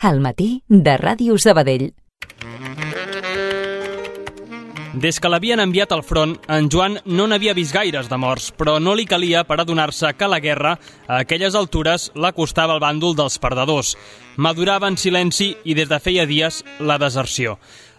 Al matí de Ràdio Sabadell. Des que l'havien enviat al front, en Joan no n'havia vist gaires de morts, però no li calia per adonar-se que la guerra, a aquelles altures, l'acostava al bàndol dels perdedors. Madurava en silenci i des de feia dies la deserció.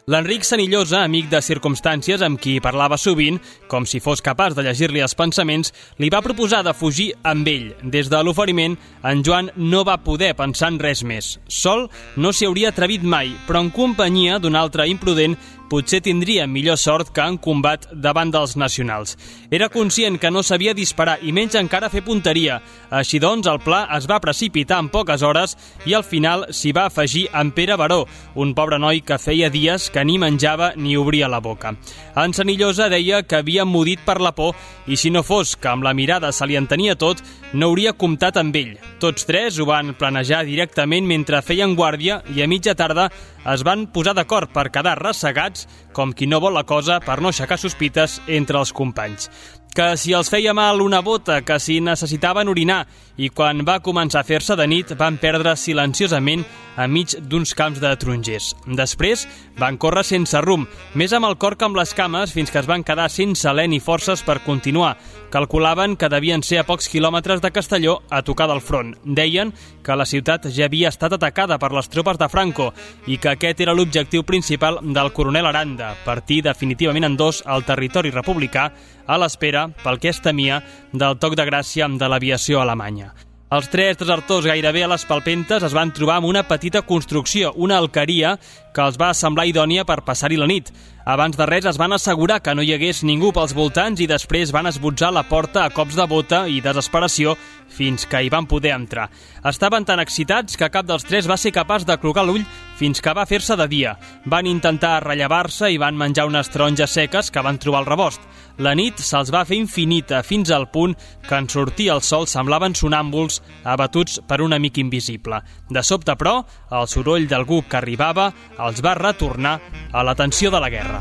L'Enric Senillosa, amic de circumstàncies amb qui parlava sovint, com si fos capaç de llegir-li els pensaments, li va proposar de fugir amb ell. Des de l'oferiment, en Joan no va poder pensar en res més. Sol no s'hi hauria atrevit mai, però en companyia d'un altre imprudent potser tindria millor sort que en combat davant dels nacionals. Era conscient que no sabia disparar i menys encara fer punteria. Així doncs, el pla es va precipitar en poques hores i al final s'hi va afegir en Pere Baró, un pobre noi que feia dies que ni menjava ni obria la boca. En Senillosa deia que havia emmudit per la por i si no fos que amb la mirada se li entenia tot, no hauria comptat amb ell. Tots tres ho van planejar directament mentre feien guàrdia i a mitja tarda es van posar d'acord per quedar ressegats com qui no vol la cosa per no aixecar sospites entre els companys. Que si els feia mal una bota, que si necessitaven orinar, i quan va començar a fer-se de nit van perdre silenciosament enmig d'uns camps de tarongers. Després van córrer sense rumb, més amb el cor que amb les cames, fins que es van quedar sense alè ni forces per continuar. Calculaven que devien ser a pocs quilòmetres de Castelló a tocar del front. Deien que la ciutat ja havia estat atacada per les tropes de Franco i que aquest era l'objectiu principal del coronel Aranda, partir definitivament en dos al territori republicà a l'espera, pel que es temia, del toc de gràcia de l'aviació alemanya. Els tres desertors gairebé a les palpentes es van trobar amb una petita construcció, una alqueria, que els va semblar idònia per passar-hi la nit. Abans de res es van assegurar que no hi hagués ningú pels voltants i després van esbotzar la porta a cops de bota i desesperació fins que hi van poder entrar. Estaven tan excitats que cap dels tres va ser capaç de clocar l'ull fins que va fer-se de dia. Van intentar rellevar-se i van menjar unes taronges seques que van trobar al rebost. La nit se'ls va fer infinita fins al punt que en sortir el sol semblaven sonàmbuls abatuts per un amic invisible. De sobte, però, el soroll d'algú que arribava els va retornar a l'atenció de la guerra.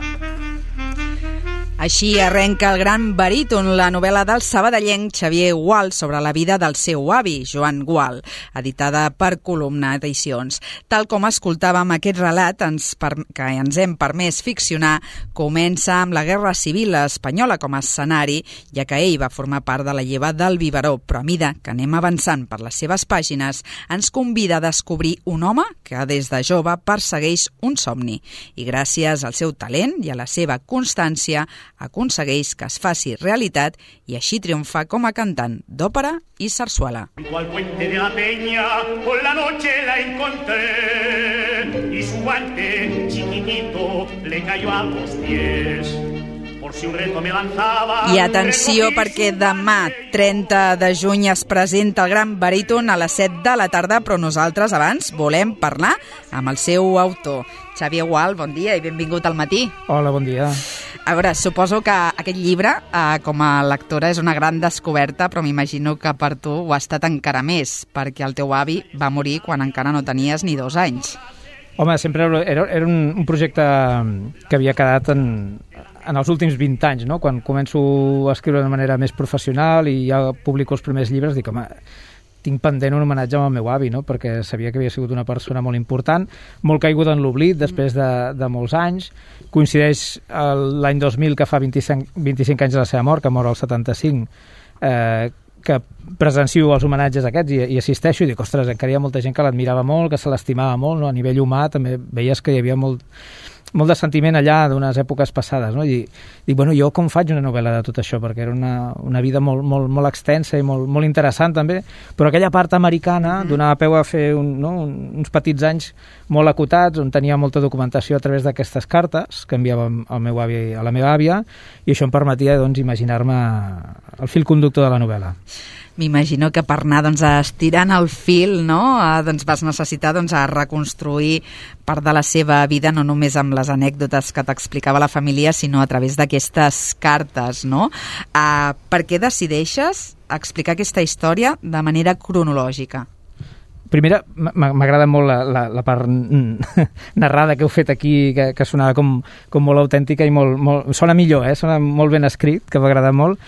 Així arrenca el gran baríton, la novel·la del sabadellenc Xavier Gual sobre la vida del seu avi, Joan Gual, editada per Columna Edicions. Tal com escoltàvem, aquest relat que ens hem permès ficcionar comença amb la Guerra Civil Espanyola com a escenari, ja que ell va formar part de la lleva del biberó, però a mida que anem avançant per les seves pàgines, ens convida a descobrir un home que des de jove persegueix un somni i gràcies al seu talent i a la seva constància aconsegueix que es faci realitat i així triomfa com a cantant d'òpera i sarsuela. Al puente de la peña por la noche la encontré y su guante chiquitito le cayó a los pies. I atenció perquè demà, 30 de juny, es presenta el gran baríton a les 7 de la tarda, però nosaltres abans volem parlar amb el seu autor. Xavier Gual, bon dia i benvingut al matí. Hola, bon dia. A veure, suposo que aquest llibre, com a lectora, és una gran descoberta, però m'imagino que per tu ho ha estat encara més, perquè el teu avi va morir quan encara no tenies ni 2 anys. Home, sempre era un projecte que havia quedat en els últims 20 anys, no? Quan començo a escriure de manera més professional i ja publico els primers llibres, dic, home, tinc pendent un homenatge al meu avi, no? Perquè sabia que havia sigut una persona molt important, molt caiguda en l'oblit després de molts anys. Coincideix l'any 2000, que fa 25 anys de la seva mort, que mor al 75, que presencio els homenatges aquests i assisteixo i dic, ostres, encara hi ha molta gent que l'admirava molt, que se l'estimava molt, no? A nivell humà també veies que hi havia molt de sentiment allà d'unes èpoques passades, no? I dic, bueno, jo com faig una novel·la de tot això? Perquè era una vida molt extensa i molt interessant també, però aquella part americana donava peu a fer uns petits anys molt acotats, on tenia molta documentació a través d'aquestes cartes que enviava al meu avi a la meva àvia, i això em permetia, doncs, imaginar-me el fil conductor de la novel·la. M'imagino que per anar estirant el fil, no? Vas necessitar reconstruir part de la seva vida, no només amb les anècdotes que t'explicava la família, sinó a través d'aquestes cartes, no? Per què decideixes explicar aquesta història de manera cronològica? Primera, m'agrada molt la part narrada que heu fet aquí, que sonava com molt autèntica i sona millor, sona molt ben escrit, que m'agrada molt.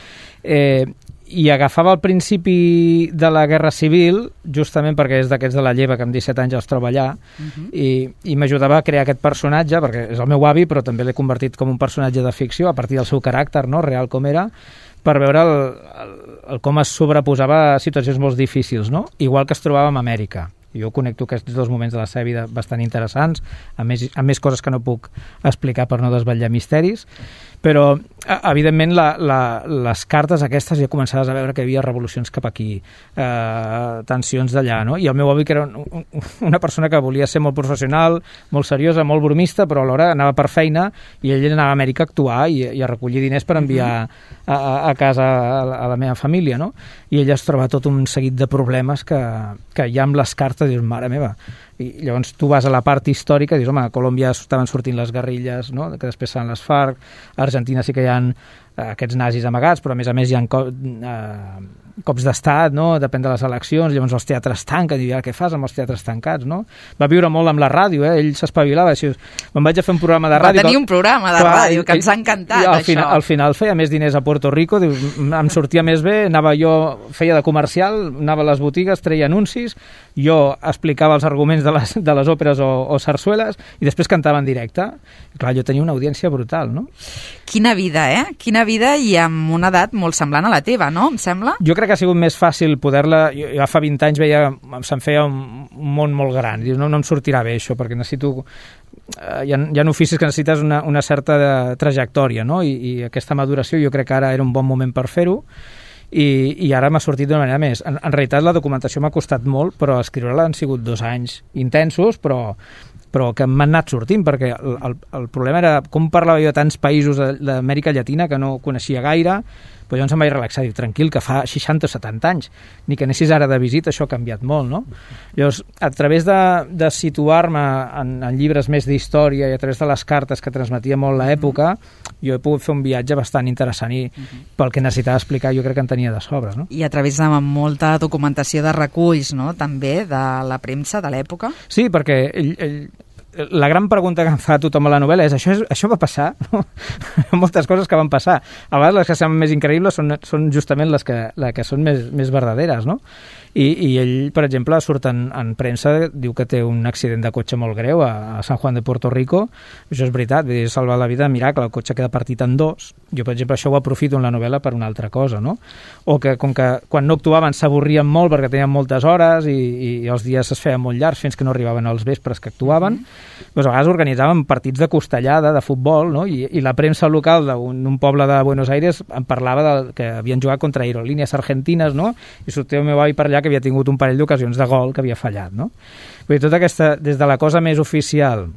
i agafava el principi de la Guerra Civil, justament perquè és d'aquests de la Lleva, que amb 17 anys els troba allà, i m'ajudava a crear aquest personatge, perquè és el meu avi, però també l'he convertit com un personatge de ficció, a partir del seu caràcter, no?, real com era, per veure com es sobreposava a situacions molt difícils, no?, igual que es trobava en Amèrica. Jo connecto aquests dos moments de la seva vida bastant interessants, a més coses que no puc explicar per no desvetllar misteris, però evidentment les cartes aquestes ja començaves a veure que hi havia revolucions cap aquí, tensions d'allà, no? I el meu avi, que era una persona que volia ser molt professional, molt seriosa, molt bromista, però alhora anava per feina i ell anava a Amèrica a actuar i a recollir diners per enviar a casa a la meva família, no? I ell es troba tot un seguit de problemes que ja amb les cartes dius, mare meva. I llavors tu vas a la part històrica i dius, home, a Colòmbia estaven sortint les guerrilles, no?, que després seran les FARC, a Argentina sí que hi ha aquests nazis amagats, però a més hi ha cops d'estat, no?, depèn de les eleccions, llavors els teatres tanquen, i ara què fas amb els teatres tancats, no? Va viure molt amb la ràdio, ell s'espavilava, així, me'n vaig a fer un programa de ràdio... Va tenir un programa de ràdio, que ens ha encantat, això. Al final feia més diners a Puerto Rico, dius, em sortia més bé, feia de comercial, anava a les botigues, treia anuncis, jo explicava els arguments de les òperes o sarsueles, i després cantava en directe. I clar, jo tenia una audiència brutal, no? Quina vida, Quina vida, i amb una edat molt semblant a la teva, no? Em sembla? Jo crec que ha sigut més fàcil poder-la... Jo fa 20 anys se'm feia un món molt gran. Dius, no em sortirà bé això, perquè necessito... Hi ha oficis que necessites una certa trajectòria, no? I aquesta maduració jo crec que ara era un bon moment per fer-ho, i ara m'ha sortit d'una manera més. En realitat la documentació m'ha costat molt, però escriure-la han sigut 2 anys intensos, però que m'han anat sortint, perquè el problema era com parlava jo de tants països d'Amèrica Llatina que no coneixia gaire, però llavors em vaig relaxar, dic, tranquil, que fa 60 o 70 anys, ni que anessis ara de visita, això ha canviat molt, no? Llavors, a través de situar-me en llibres més d'història i a través de les cartes que transmetia molt l'època, jo he pogut fer un viatge bastant interessant i pel que necessitava explicar jo crec que en tenia de sobres, no? I a través de molta documentació de reculls, no?, també, de la premsa de l'època. Sí, perquè la gran pregunta que em fa tothom a la novel·la és això va passar? No? Moltes coses que van passar. A vegades les que semblen més increïbles són justament les que són més verdaderes, no? I ell, per exemple, surt en premsa, diu que té un accident de cotxe molt greu a San Juan de Puerto Rico. Això és veritat, vull dir, salvar la vida de miracle, el cotxe queda partit en 2. Jo, per exemple, això ho aprofito en la novel·la per una altra cosa, no? O que, com que quan no actuaven s'avorrien molt perquè tenien moltes hores i els dies es feien molt llargs fins que no arribaven als vespres que actuaven, doncs a vegades organitzaven partits de costellada, de futbol, no? I la premsa local d'un poble de Buenos Aires em parlava que havien jugat contra aerolínees argentines, no? I sortia el meu avi per allà que havia tingut un parell d'ocasions de gol que havia fallat, no? Vull dir, tota aquesta, des de la cosa més oficial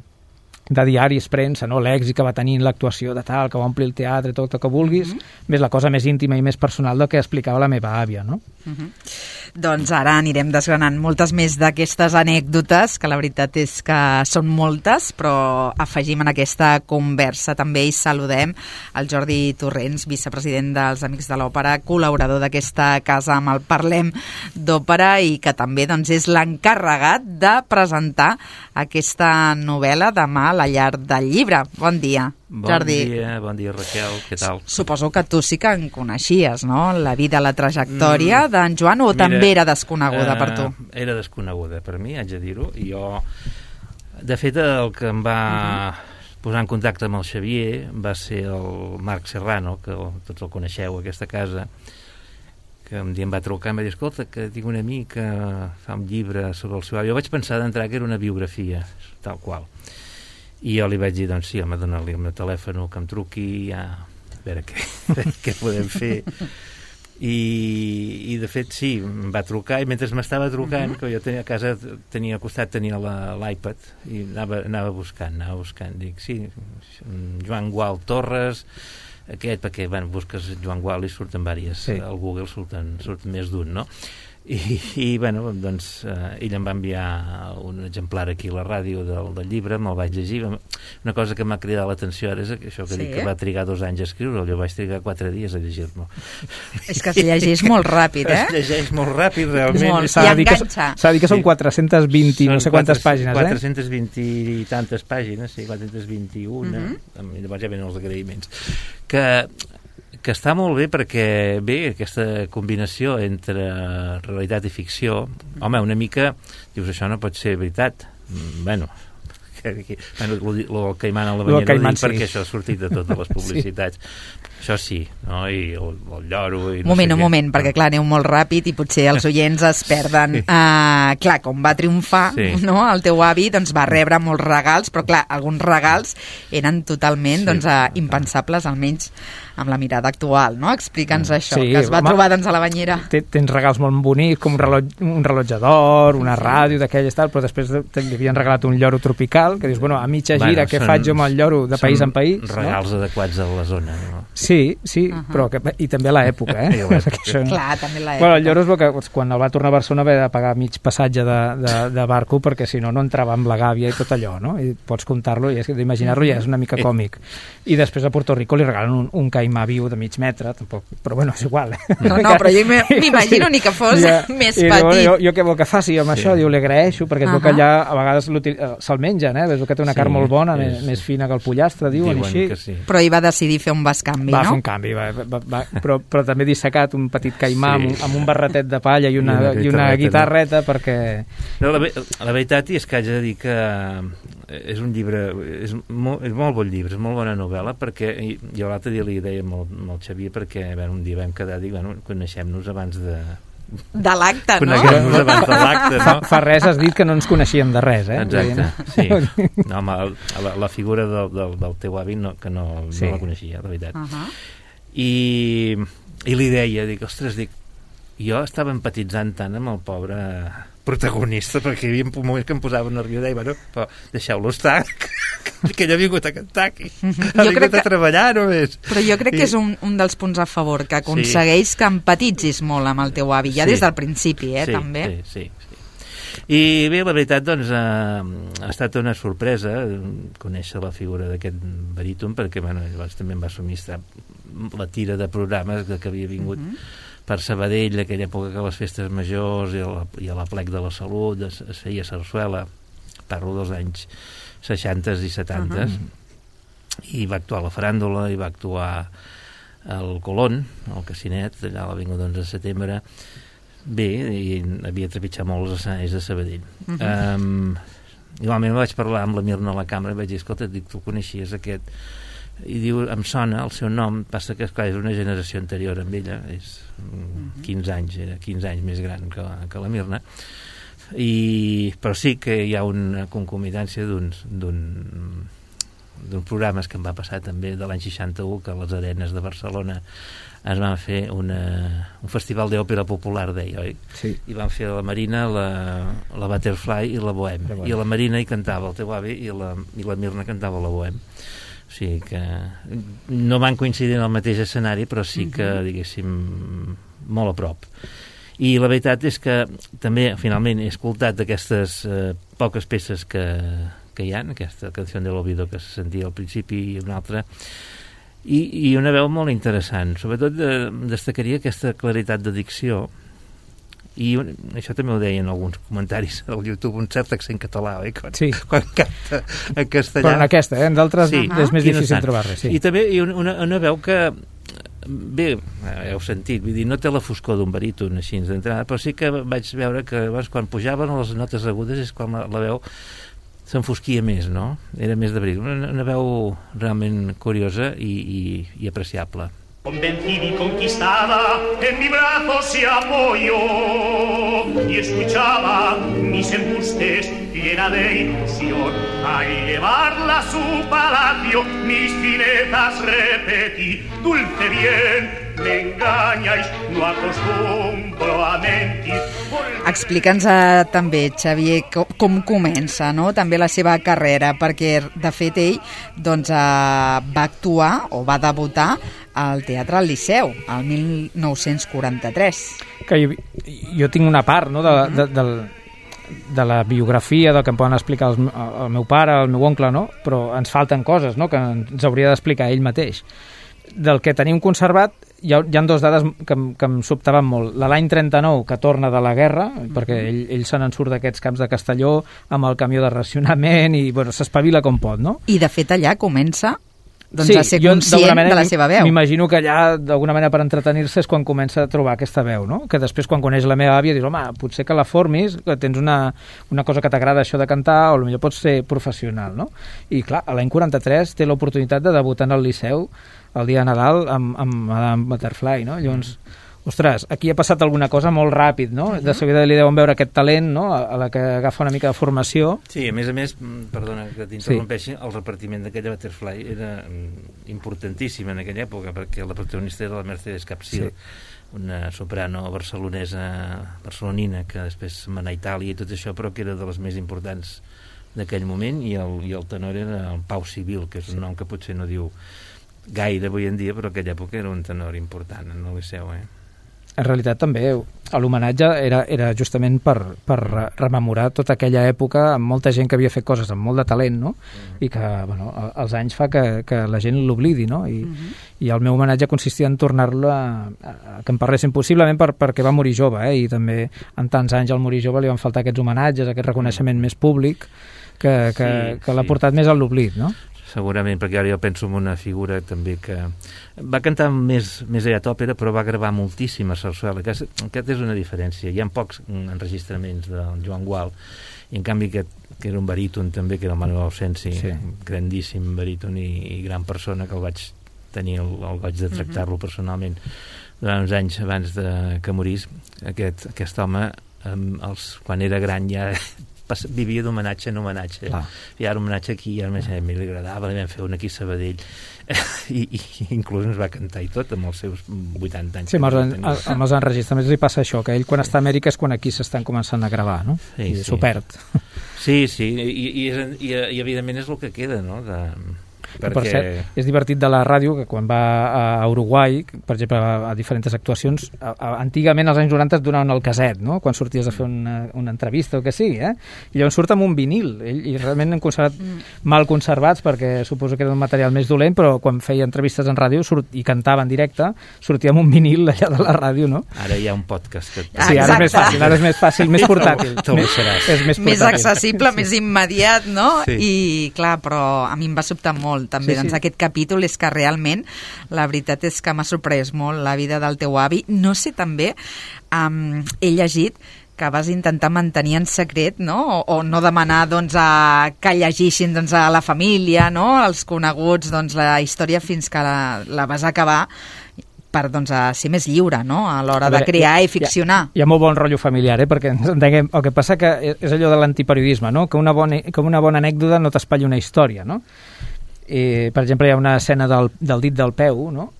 de diaris, premsa, no? L'èxit que va tenir l'actuació de tal, que va omplir el teatre, tot el que vulguis, més la cosa més íntima i més personal del que explicava la meva àvia, no? Doncs ara anirem desgranant moltes més d'aquestes anècdotes, que la veritat és que són moltes, però afegim en aquesta conversa també i saludem el Jordi Torrents, vicepresident dels Amics de l'Òpera, col·laborador d'aquesta casa amb el Parlem d'Òpera i que també doncs, és l'encarregat de presentar aquesta novel·la demà a la Llar del Llibre. Bon dia, Jordi. Bon dia, Raquel, què tal? Suposo que tu sí que en coneixies, no?, la vida, la trajectòria d'en Joan, o també era desconeguda per tu? Era desconeguda per mi, haig de dir-ho, i jo, de fet, el que em va posar en contacte amb el Xavier va ser el Marc Serrano, que tots el coneixeu, aquesta casa, que un dia em va trucar i em va dir, escolta, que tinc un amic que fa un llibre sobre el seu avi. Jo vaig pensar d'entrar que era una biografia, tal qual. I jo li vaig dir, doncs sí, home, donar-li el meu telèfon que em truqui, a veure què podem fer. I de fet sí, em va trucar i mentre m'estava trucant, que jo tenia a casa, al costat tenia l'iPad i anava buscant, dic, sí, Joan Gual Torres, aquest, perquè busques Joan Gual i surten diverses, sí. Al Google surten més d'un, no? I bueno, doncs ell em va enviar un exemplar aquí a la ràdio del llibre, me'l vaig llegir. Una cosa que m'ha cridat l'atenció ara és això que dic que va trigar 2 anys a escriure-lo, jo vaig trigar 4 dies a llegir-lo. És que es llegeix molt ràpid, Es llegeix molt ràpid, realment. I enganxa. S'ha de dir que són 420 no sé quantes pàgines, 420 i tantes pàgines, sí, 421, llavors ja venen els agraïments. Que que està molt bé perquè, bé, aquesta combinació entre realitat i ficció, home, una mica, dius, això no pot ser veritat. Bueno, el Caimán a la banyera ho dic perquè això ha sortit de totes les publicitats. Això sí, no? I el lloro... I un moment, perquè clar, aneu molt ràpid i potser els oients es perden. Clar, com va triomfar, no? El teu avi doncs, va rebre molts regals, però clar, alguns regals eren totalment impensables, almenys amb la mirada actual, no? Explica'ns això, que es va trobar doncs, a la banyera. Tens regals molt bonics, com un rellotge d'or, una ràdio d'aquelles tal, però després li havien regalat un lloro tropical, que dius, bueno, a mitja gira, què faig jo amb el lloro de país en país? Regals adequats a la zona, no? Sí, però i també a l'època, Clar, també a l'època. Bueno, el lloro és que quan el va tornar a Barcelona va pagar mig passatge de barco perquè si no entrava amb la gàbia i tot allò, no? I pots comptar-lo i d'imaginar-lo ja és una mica còmic. I després a Puerto Rico li regalen un caimà viu de mig metre, tampoc, però bueno, és igual. No, però jo m'imagino ni que fos més petit. Jo què vol que faci amb això? Diu, li agraeixo, perquè es veu que allà a vegades se'l mengen, ves que té una carn molt bona, més fina que el pollastre, diuen així. Però hi va decidir fer un bescanvi, no? Va fer un canvi, però també dissecat un petit caimà amb un barretet de palla i una guitarreta perquè... No, la veritat és que haig de dir que és un llibre, és molt bon llibre, és molt bona novel·la, perquè jo l'altre dia li deia amb el Xavier, perquè un dia vam quedar, dic, bueno, coneixem-nos abans de l'acte, no? Coneguem-nos abans de l'acte, no? Fa res has dit que no ens coneixíem de res, Exacte, sí. No, home, la figura del teu avi que no la coneixia, la veritat. I li deia, dic, ostres, jo estava empatitzant tant amb el pobre protagonista, perquè hi havia moments que em posava nerviós i deia, bueno, però deixeu-lo estar, que ell ha vingut a cantar aquí, ha vingut a treballar només. Però jo crec que és un dels punts a favor, que aconsegueix que empatitzis molt amb el teu avi, ja des del principi, també. Sí. I bé, la veritat, doncs, ha estat una sorpresa conèixer la figura d'aquest baríton, perquè, bueno, llavors també em va subministrar la tira de programes que havia vingut per Sabadell, aquella època que a les festes majors i a la plec de la Salut es feia sarsuela, parlo dels anys 60 i 70, i va actuar a la Faràndula, i va actuar al Colón, al Casinet, allà a l'avinguda 11 de setembre. Bé, i havia trepitjat molt els escenaris de Sabadell. Igualment vaig parlar amb la Mirna a la càmera i vaig dir, escolta, tu coneixies aquest... I diu, em sona el seu nom, passa que és una generació anterior amb ella, és 15 anys, era 15 anys més gran que la Mirna, però sí que hi ha una concomitància d'uns programes que em va passar també de l'any 61, que a les Arenes de Barcelona es van fer un festival d'òpera popular, deia, oi? Sí. I van fer a la Marina la Butterfly i la Bohème. I a la Marina hi cantava el teu avi i la Mirna cantava la Bohème. O sigui que no van coincidir en el mateix escenari, però sí que, diguéssim, molt a prop. I la veritat és que també, finalment, he escoltat d'aquestes poques peces que hi ha, aquesta canció de l'Olvido que se sentia al principi i una altra, i una veu molt interessant. Sobretot destacaria aquesta claritat de dicció, i això també ho deien alguns comentaris al YouTube, un cert accent català, oi? Quan canta en castellà. Però en aquesta, en d'altres és més difícil trobar res. I també una veu que, bé, heu sentit, vull dir, no té la foscor d'un baríton així d'entrada, però sí que vaig veure que quan pujaven les notes agudes és quan la veu s'enfosquia més, no? Era més de baríton. Una veu realment curiosa i apreciable. Convencida y conquistada, en mi brazo se apoyó y escuchaba mis embustes llena de ilusión. Al llevarla a su palacio, mis finezas repetí. Dulce bien, me engañáis, no acostumbro a mentir. Explica'ns també, Xavier, com comença, no? També la seva carrera, perquè de fet ell doncs, va actuar o va debutar al Teatre al Liceu, el 1943. Que jo tinc una part, no?, de la biografia, del que em poden explicar el meu pare, el meu oncle, no? Però ens falten coses, no?, que ens hauria d'explicar ell mateix. Del que tenim conservat, hi ha dues dades que em sobtaven molt. L'any 39, que torna de la guerra, perquè ell se n'en surt d'aquests camps de Castelló amb el camió de racionament i, bueno, s'espavila com pot, no? I, de fet, allà comença a ser conscient de la seva veu. M'imagino que allà, d'alguna manera, per entretenir-se és quan comença a trobar aquesta veu, no? Que després, quan coneix la meva àvia, dius, home, potser que la formis, que tens una cosa que t'agrada això de cantar, o potser pots ser professional, no? I clar, a l'any 43 té l'oportunitat de debutar en el Liceu el dia de Nadal amb Madame Butterfly, no? Llavors, ostres, aquí ha passat alguna cosa molt ràpid, no? De seguida li deuen veure aquest talent, no? A la que agafa una mica de formació. Sí, a més, perdona que t'interrompeixi, el repartiment d'aquella Butterfly era importantíssim en aquella època, perquè la protagonista era la Mercedes Capsil, una soprano barcelonina que després se'n va anar a Itàlia i tot això, però que era de les més importants d'aquell moment, i el tenor era el Pau Civil, que és un nom que potser no diu gaire avui en dia, però en aquella època era un tenor important en el Liceu, En realitat també l'homenatge era justament per rememorar tota aquella època amb molta gent que havia fet coses amb molt de talent, no? I que, bueno, els anys fa que la gent l'oblidi, no? I el meu homenatge consistia en tornar-lo a que en parlessin, possiblement perquè va morir jove, i també en tants anys al morir jove li van faltar aquests homenatges, aquest reconeixement més públic que l'ha portat més a l'oblit, no? Segurament, perquè ara jo penso en una figura també que va cantar més aviat òpera, però va gravar moltíssima sarsuela. Aquesta és una diferència. Hi ha pocs enregistraments del Joan Gual, i en canvi que era un baríton també, que era el Manuel Ausensi, grandíssim baríton i gran persona, que el vaig tenir el goig de tractar-lo personalment durant uns anys abans que morís. Aquest home, quan era gran, ja vivia d'homenatge en homenatge. I ara homenatge aquí, i ara a mi li agradava, li vam fer un aquí a Sabadell, i inclús ens va cantar i tot amb els seus 80 anys. Sí, amb els enregistraments li passa això, que ell quan està a Amèrica és quan aquí s'estan començant a gravar, no? I s'ho perd. Sí, i evidentment és el que queda, no? Per cert, és divertit de la ràdio que quan va a Uruguai, per exemple, a diferents actuacions, antigament als anys 90 et donaven el caset, no? Quan sorties a fer una entrevista o que sigui, i llavors surt amb un vinil, i realment han conservat mal conservats, perquè suposo que era un material més dolent, però quan feia entrevistes en ràdio i cantava en directe, sortia amb un vinil allà de la ràdio, no? Ara hi ha un podcast que... Sí, ara és més fàcil, més portàtil. Més accessible, més immediat, no? I clar, però a mi em va sobtar molt també, doncs aquest capítol és que realment la veritat és que m'ha sorprès molt la vida del teu avi. No sé, també he llegit que vas intentar mantenir en secret, no? O no demanar que llegissin a la família, no? Els coneguts, la història fins que la vas acabar, per ser més lliure, no? A l'hora de crear i ficcionar. Hi ha molt bon rotllo familiar, perquè ens entenguem. El que passa que és allò de l'antiperiodisme, no? Que una bona anècdota no t'espatlli una història, no? Per exemple, hi ha una escena del dit del peu, no?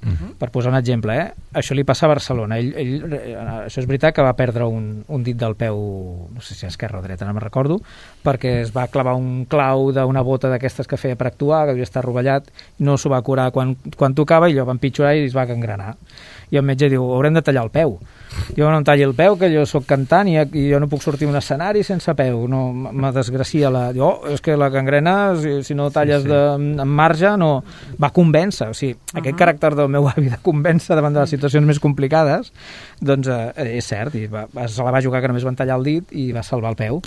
Per posar un exemple, això li passa a Barcelona. Això és veritat que va perdre un dit del peu, no sé si a esquerra o dreta, no me'n recordo, perquè es va clavar un clau d'una bota d'aquestes que feia per actuar, que devia estar rovellat, no s'ho va curar quan tocava, i allò va empitjorar i es va gangrenar. I el metge diu, haurem de tallar el peu. Jo no em talli el peu, que jo sóc cantant i jo no puc sortir a un escenari sense peu, no, me desgracia és que la gangrena, si no talles en marge, no... Va convèncer, o sigui, aquest caràcter del meu avi de convèncer davant de les situacions més complicades, doncs és cert, i se la va jugar que només van tallar el dit i va salvar el peu,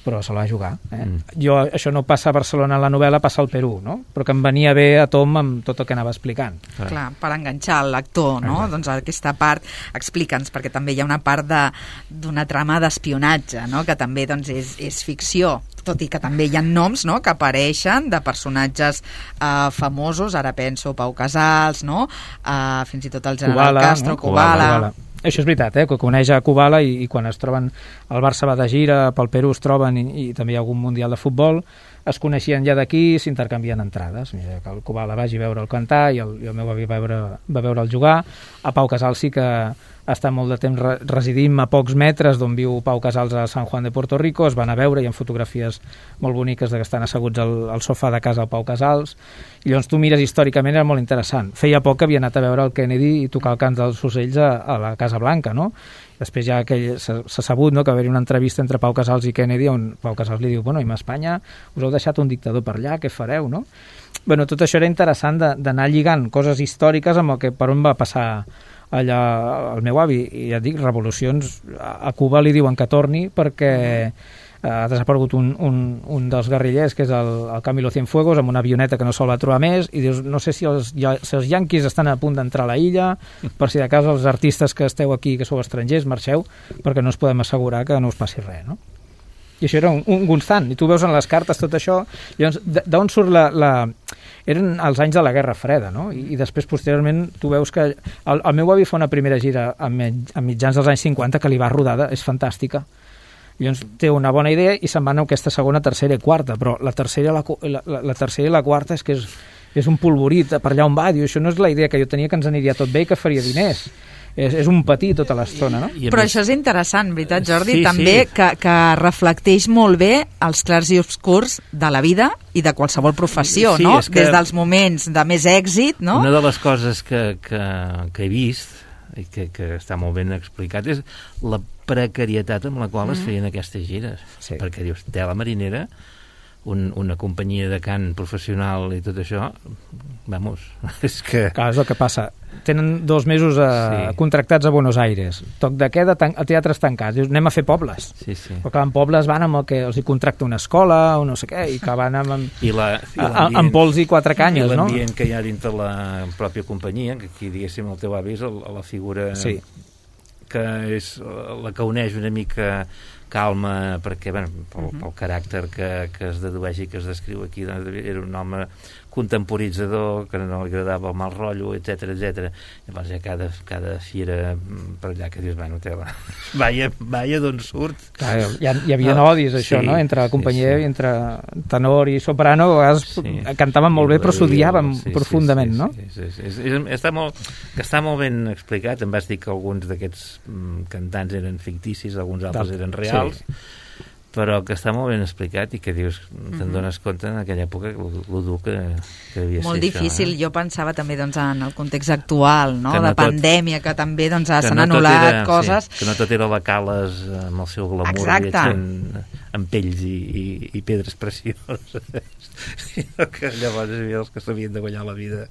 però se la va jugar. Això no passa a Barcelona en la novel·la, passa al Perú, no? Però que em venia bé a Tom amb tot el que anava explicant. Clar, per enganxar el lector, no? Exacte. Doncs aquesta part, explica'ns, perquè també hi ha una part d'una trama d'espionatge, no? Que també és ficció, tot i que també hi ha noms, no?, que apareixen de personatges famosos, ara penso Pau Casals, no? Fins i tot el general Castro, Kubala. Això és veritat, que coneix a Kubala i quan es troben, el Barça va de gira, pel Perú es troben i també hi ha algun mundial de futbol, es coneixien ja d'aquí, s'intercanvien entrades. Mira, que el Kubala vagi a veure'l cantar i el meu avi va veure'l jugar. A Pau Casals sí que està molt de temps residint a pocs metres d'on viu Pau Casals a San Juan de Puerto Rico, es van a veure, hi ha fotografies molt boniques que estan asseguts al sofà de casa del Pau Casals, i llavors tu mires històricament, era molt interessant. Feia poc que havia anat a veure el Kennedy i tocar el cant dels ocells a la Casa Blanca, no? Després ja s'ha sabut, no?, que va haver una entrevista entre Pau Casals i Kennedy on Pau Casals li diu, bueno, i a Espanya us heu deixat un dictador per allà, què fareu, no? Bueno, tot això era interessant d'anar lligant coses històriques amb el que per on va passar allà el meu avi, i ja et dic, revolucions a Cuba li diuen que torni perquè ha desaparegut un dels guerrillers, que és el Camilo Cienfuegos, amb una avioneta que no se'l va trobar més, i dius, no sé si els yanquis estan a punt d'entrar a la illa, per si de cas els artistes que esteu aquí, que sou estrangers, marxeu, perquè no us podem assegurar que no us passi res, no? I això era un constant, i tu veus en les cartes tot això, llavors, d'on surt eren els anys de la Guerra Freda, no? I després, posteriorment, tu veus que el meu avi fa una primera gira a mitjans dels anys 50 que li va rodada, és fantàstica. Llavors té una bona idea i se'n van a aquesta segona, tercera i quarta, però la tercera i la quarta és que és un polvorit per allà on va, diu, això no és la idea que jo tenia, que ens aniria tot bé i que faria diners. És un patí tota l'estona, no? Però això és interessant, veritat, Jordi? Sí, també sí. Que reflecteix molt bé els clars i obscurs de la vida i de qualsevol professió, sí, no? Des dels moments de més èxit, no? Una de les coses que he vist i que està molt ben explicat és la precarietat amb la qual es feien aquestes gires. Sí. Perquè dius, tela marinera, una companyia de cant professional i tot això, vamos, és que... Clar, és el que passa. Tenen 2 mesos contractats a Buenos Aires. Toc de queda, a teatres tancats. Dius, anem a fer pobles. Sí, sí. Però clar, en pobles van amb el que els hi contracta una escola o no sé què, i que van amb pols i 4 canyes, no? I l'ambient que hi ha dintre la pròpia companyia, que aquí, diguéssim, el teu avi és la figura que és la que uneix una mica calma, perquè pel caràcter que es dedueix i que es descriu aquí, doncs, era un home contemporitzador, que no li agradava el mal rotllo, etc. Llavors hi ha cada fira per allà que dius, bueno, vaya d'on surt. Clar, hi havia odis, això, no? Entre la companyia i entre tenor i soprano, a vegades cantaven molt bé, però s'odiaven profundament, no? Està molt ben explicat. Em vas dir que alguns d'aquests cantants eren ficticis, alguns altres eren reals, però que està molt ben explicat i que dius, te'n dones compte en aquella època lo dur que devia ser. Molt difícil, jo pensava també en el context actual, no? De pandèmia, que també s'han anul·lat coses. Que no tot era la Cales amb el seu glamour viatjant amb pells i pedres precioses, sinó que llavors hi havia els que s'havien de guanyar la vida.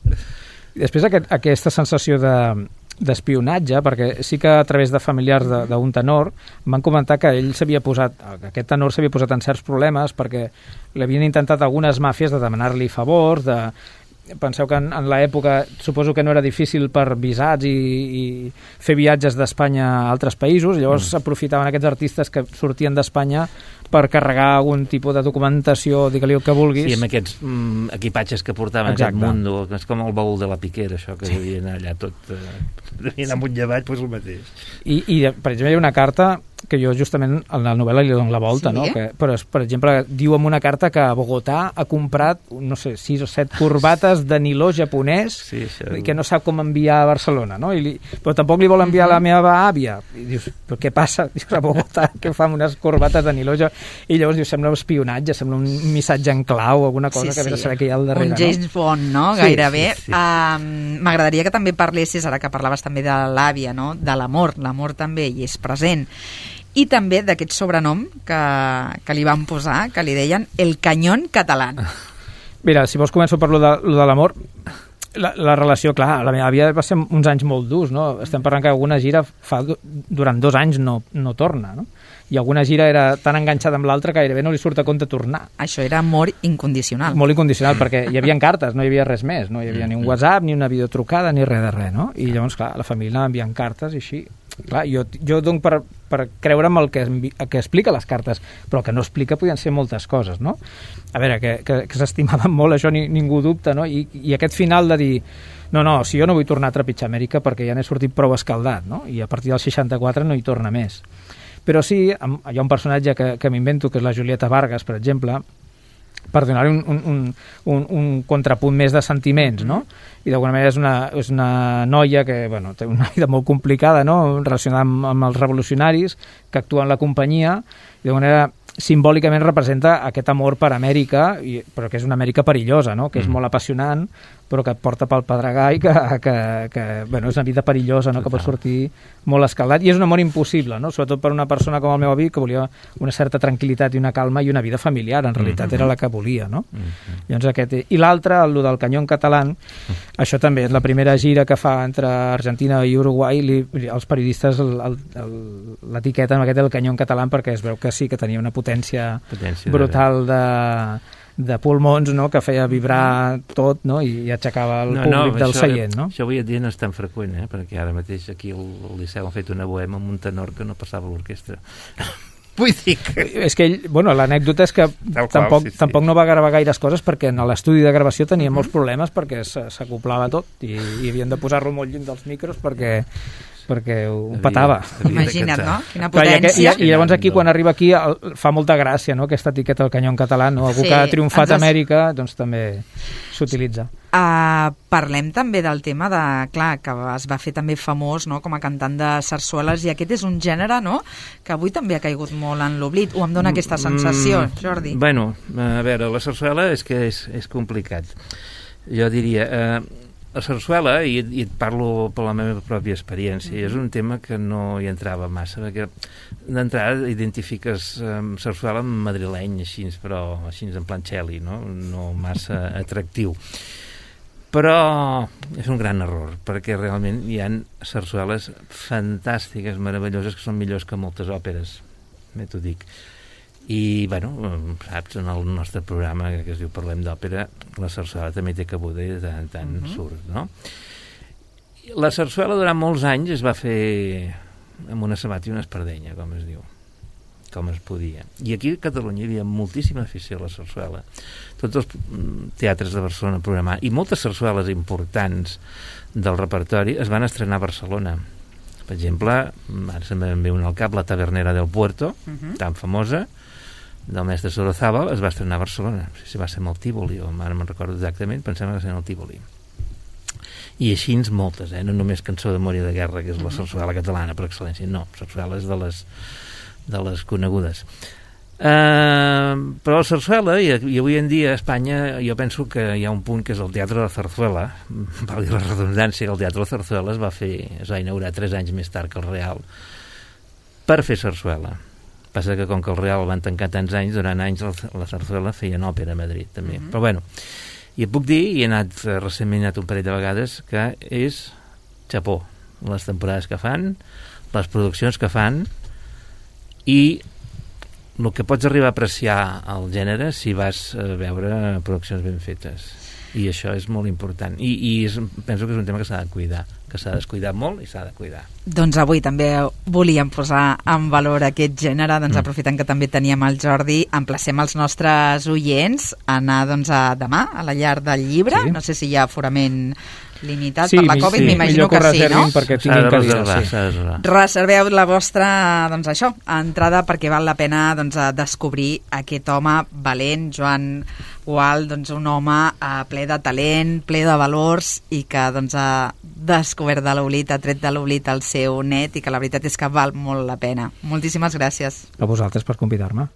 Després aquesta sensació d'espionatge, perquè sí que a través de familiars d'un tenor m'han comentat que aquest tenor s'havia posat en certs problemes perquè l'havien intentat algunes màfies de demanar-li favors, penseu que en l'època suposo que no era difícil per visats i fer viatges d'Espanya a altres països, llavors s'aprofitaven aquests artistes que sortien d'Espanya per carregar algun tipus de documentació, digue-li el que vulguis. Sí, amb aquests equipatges que portaven aquest mundo, és com el baúl de la Piquera, això que devia anar allà tot... devia anar amunt i avall, doncs el mateix. I per exemple, hi ha una carta que jo justament en la novel·la li dono la volta, no? Però, per exemple, diu en una carta que a Bogotà ha comprat, no sé, 6 o 7 corbates de niló japonès i que no sap com enviar a Barcelona, no? Però tampoc li vol enviar a la meva àvia. I dius, però què passa? Dius, a Bogotà, què fa amb unes corbates de niló? I llavors dius, sembla un espionatge, sembla un missatge en clau, alguna cosa que vés a saber què hi ha al darrere. Un James Bond, no? Gairebé. M'agradaria que també parlessis, ara que parlaves també de l'àvia, no? De l'amor. L'amor també hi és present. I també d'aquest sobrenom que li van posar, que li deien el Cañón Catalán. Mira, si vols començo per lo de l'amor. La relació, clar, la meva àvia va ser uns anys molt durs, no? Estem parlant que alguna gira durant 2 anys no torna, no? I alguna gira era tan enganxada amb l'altra que gairebé no li surt a compte tornar. Això era amor incondicional. Molt incondicional, perquè hi havia cartes, no hi havia res més, no hi havia ni un WhatsApp, ni una videotrucada, ni res de res, no? I llavors, clar, la família anava enviant cartes i així. Clar, jo dono per creure'm el que explica les cartes, però el que no explica podien ser moltes coses, no? A veure, que s'estimaven molt, això ningú dubta, no? I aquest final de dir, no, si jo no vull tornar a trepitjar Amèrica perquè ja n'he sortit prou escaldat, no? I a partir del 64 no hi torna més. Però sí, hi ha un personatge que m'invento, que és la Julieta Vargas, per exemple, per donar-li un contrapunt més de sentiments, no? I d'alguna manera és una noia que, bueno, té una vida molt complicada, no? Relacionada amb els revolucionaris, que actua en la companyia, i d'alguna manera simbòlicament representa aquest amor per Amèrica, però que és una Amèrica perillosa, no? Que és molt apassionant, però que et porta pel pedregar i que bueno, és una vida perillosa, no? Que pot sortir molt escaldat, i és un amor impossible, no? Sobretot per una persona com el meu avi, que volia una certa tranquil·litat i una calma i una vida familiar, en realitat era la que volia, no? Llavors i l'altre, el del Cañón Catalán, això també és la primera gira que fa entre Argentina i Uruguai, els periodistes l'etiqueten amb aquest del Cañón Catalán perquè es veu que sí que tenia una potència brutal de pulmons, no?, que feia vibrar tot, no?, i aixecava el públic del seient, no? Això avui en dia no és tan freqüent, perquè ara mateix aquí al Liceu han fet una bohema amb un tenor que no passava a l'orquestra. Vull dir que... És que ell, bueno, l'anècdota és que tampoc no va gravar gaires coses perquè en l'estudi de gravació tenia molts problemes perquè s'acoplava tot i havien de posar-lo molt lluny dels micros perquè ho petava. Imagina't, no? Quina potència. I llavors aquí, quan arriba aquí, fa molta gràcia, no?, aquesta etiqueta del canyó en català, no? Algú que ha triomfat a Amèrica, doncs també s'utilitza. Parlem també del tema de, clar, que es va fer també famós, no?, com a cantant de sarsueles, i aquest és un gènere, no?, que avui també ha caigut molt en l'oblit, o em dona aquesta sensació, Jordi? Bueno, a veure, la sarsuela és que és complicat. Jo diria... La sarsuela, i et parlo per la meva pròpia experiència, és un tema que no hi entrava massa, perquè d'entrada identifiques sarsuela amb madrileny, així, però així en plan Txeli, no massa atractiu. Però és un gran error, perquè realment hi ha sarsueles fantàstiques, meravelloses, que són millors que moltes òperes, t'ho dic. I, bueno, saps, en el nostre programa que es diu Parlem d'Òpera, la sarsuela també té cabuda i de tant en tant surt, no? La sarsuela durant molts anys es va fer amb una sabata i una espardenya, com es diu, com es podia. I aquí a Catalunya hi havia moltíssima afició a la sarsuela. Tots els teatres de Barcelona programant, i moltes sarsueles importants del repertori es van estrenar a Barcelona. Per exemple, ara se'm ve una al cap, La Tavernera del Puerto, tan famosa, del mestre Sorozábal, es va estrenar a Barcelona. No sé si va ser amb el Tívoli, o ara me'n recordo exactament, pensem que va ser en el Tívoli. I així moltes, no només Cançó d'amor i de guerra, que és la sarsuela catalana per excel·lència, no, sarsueles de les conegudes. Però la sarsuela, i avui en dia a Espanya, jo penso que hi ha un punt que és el Teatre de la Zarzuela, valgui la redundància, que el Teatre de la Zarzuela es va inaugurar 3 anys més tard que el Real per fer sarsuela. Passa que com que el Real van tancar tants anys, durant anys la sarsuela feien òpera a Madrid també. Però bueno, i et puc dir, i he anat recentment un parell de vegades, que és xapó les temporades que fan, les produccions que fan, i el que pots arribar a apreciar al gènere si vas a veure produccions ben fetes. I això és molt important. I penso que és un tema que s'ha de cuidar, que s'ha descuidat molt i s'ha de cuidar. Doncs avui també volíem posar en valor aquest gènere, doncs aprofitant que també teníem el Jordi, emplacem els nostres oients a anar doncs, demà a la Llar del Llibre, no sé si hi ha aforament limitat per la Covid, m'imagino que sí, no? Perquè tinguin cadires, Reserveu la vostra, doncs això, entrada, perquè val la pena doncs, descobrir aquest home valent, Joan Gual, doncs un home ple de talent, ple de valors, i que doncs, ha descobert de l'oblit, ha tret de l'oblit el seu net, i que la veritat és que val molt la pena. Moltíssimes gràcies. A vosaltres per convidar-me.